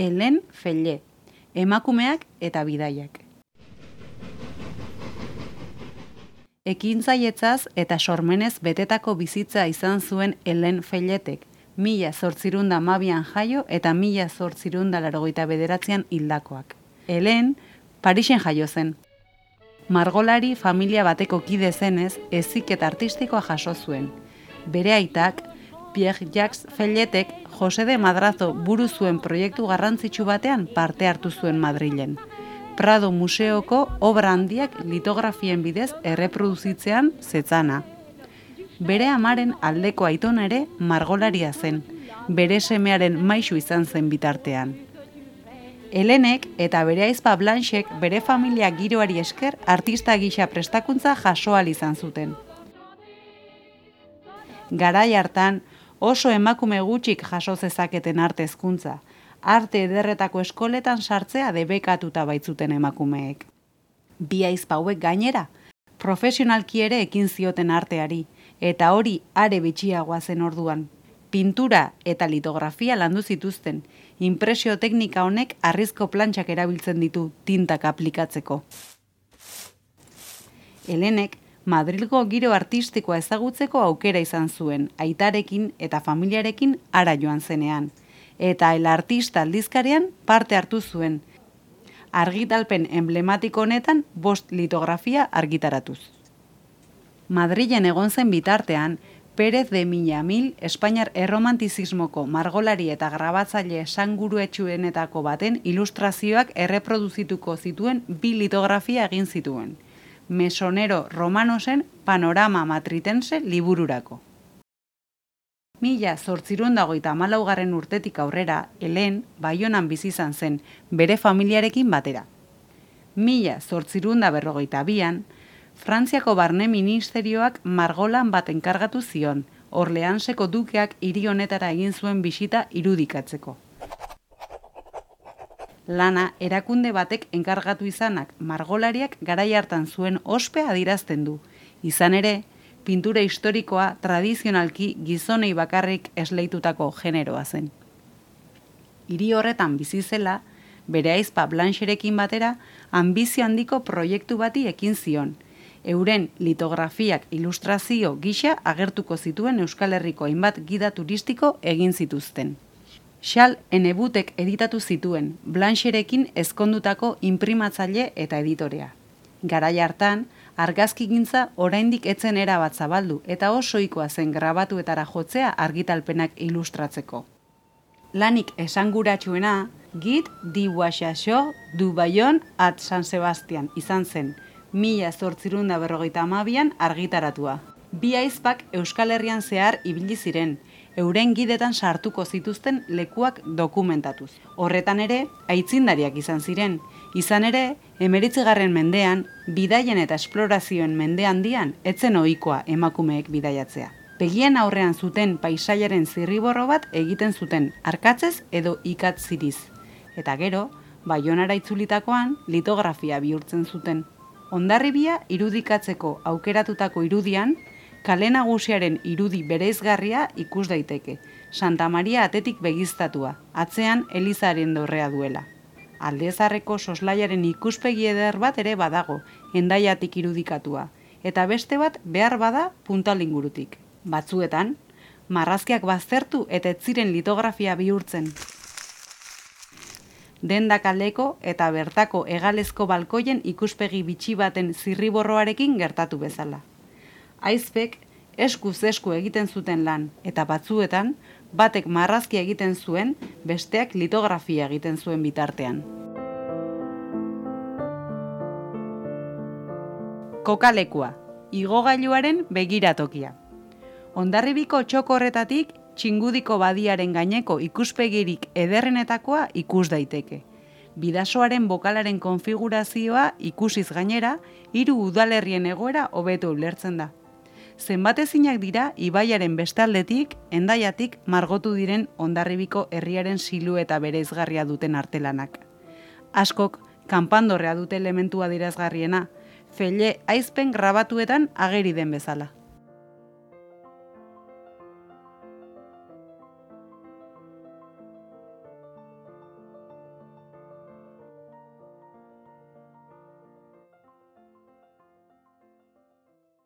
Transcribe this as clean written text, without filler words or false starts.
Helen Felle, emakumeak eta bidaiak. Ekintzaietzaz eta sormenez betetako bizitza izan zuen Helen Felletek, 1812an jaio eta 1889an hildakoak. Helen, Parisen jaio zen. Margolari familia bateko kide zenez, heziketa artistikoa jaso zuen. Bere aitak, Pierre-Jacques Felletek, Jose de Madrazo buru zuen proiektu garrantzitsu batean parte hartu zuen Madrilen. Prado Museoko obra handiak litografien bidez erreproduzitzean zetzana. Bere amaren aldeko aitona ere margolaria zen, bere semearen maisu izan zen bitartean. Helenek eta bere ahizpa Blanchek bere familia giroari esker artista gisa prestakuntza jaso ahal izan zuten. Garai hartan oso emakume gutxik jaso zezaketen arte hezkuntza, arte ederretako eskoletan sartzea debekatuta baitzuten emakumeek. Bi ahizpa hauek gainera, profesionalki ere ekin zioten arteari, eta hori are bitxiagoa zen orduan. Pintura eta litografia landu zituzten, inpresio teknika honek harrizko plantxak erabiltzen ditu tintak aplikatzeko. Helenek Madrilgo giro artistikoa ezagutzeko aukera izan zuen, aitarekin eta familiarekin hara joan zenean, eta El Artista aldizkarian parte hartu zuen, argitalpen emblematiko honetan 5 litografia argitaratuz. Madrilen egon zen bitartean, Pérez de Miñamil, Espainiar erromantizismoko margolari eta grabatzaile esanguruetsuenetako baten ilustrazioak erreproduzituko zituen 2 litografia egin zituen. Mesonero Romanosen Panorama Matritense libururako. 1894 urtetik aurrera, Helen Baionan bizi izan zen, bere familiarekin batera. 1852an, Frantziako Barne Ministerioak margolan bat enkargatu zion, Orleanseko dukeak hiri honetara egin zuen bisita irudikatzeko. Lana erakunde batek enkargatu izanak margolariak garai hartan zuen ospea adierazten du. Izan ere, pintura historikoa tradizionalki gizonei bakarrik esleitutako generoa zen. Hiri horretan bizi zela, bere ahizpa Blancherekin batera, anbizio handiko proiektu bati ekin zion. Euren litografiak ilustrazio gisa agertuko zituen Euskal Herriko hainbat gida turistiko egin zituzten. Charles Hennebutek editatu zituen, Blancherekin ezkondutako inprimatzaile eta editorea. Garai hartan, argazkigintza oraindik etzen erabat zabaldu eta oso ohikoa zen grabatuetara jotzea argitalpenak ilustratzeko. Lanik esanguratsuena, Guide du Voyageur du Bayonne at San Sebastian izan zen, 1852an argitaratua. Bi ahizpak Euskal Herrian zehar ibili ziren, euren gidetan sartuko zituzten lekuak dokumentatuz. Horretan ere, aitzindariak izan ziren. Izan ere, 19. mendean, bidaien eta esplorazioen mende handian, etzen ohikoa emakumeek bidaiatzea. Begien aurrean zuten paisaiaren zirriborro bat egiten zuten, arkatzez edo ikatziriz. Eta gero, Baionara itzulitakoan, litografia bihurtzen zuten. Hondarribia irudikatzeko aukeratutako irudian, kale nagusiaren irudi bereizgarria ikus daiteke, Santa Maria atetik begiztatua, atzean Elizaren dorrea duela. Aldezaharreko soslaiaren ikuspegi eder bat ere badago, Hendaiatik irudikatua, eta beste bat behar bada Puntalingurutik. Batzuetan, marrazkiak baztertu eta ez ziren litografia bihurtzen. Denda kaleko eta bertako hegalezko balkoien ikuspegi bitxi baten zirriborroarekin gertatu bezala. Ahizpek eskuz esku egiten zuten lan, eta batzuetan, batek marrazkia egiten zuen, besteak litografia egiten zuen bitartean. Kokalekua, igogailuaren begiratokia. Hondarribiko txoko horretatik, Txingudiko badiaren gaineko ikuspegirik ederrenetakoa ikus daiteke. Bidasoaren bokalaren konfigurazioa ikusiz gainera, 3 udalerrien egoera hobeto ulertzen da. Zenbatezinak dira ibaiaren bestaldetik, Hendaiatik margotu diren Hondarribiko herriaren silueta bereizgarria duten artelanak. Askok kanpandorrea dute elementua adierazgarriena, Felle ahizpen grabatuetan ageri den bezala.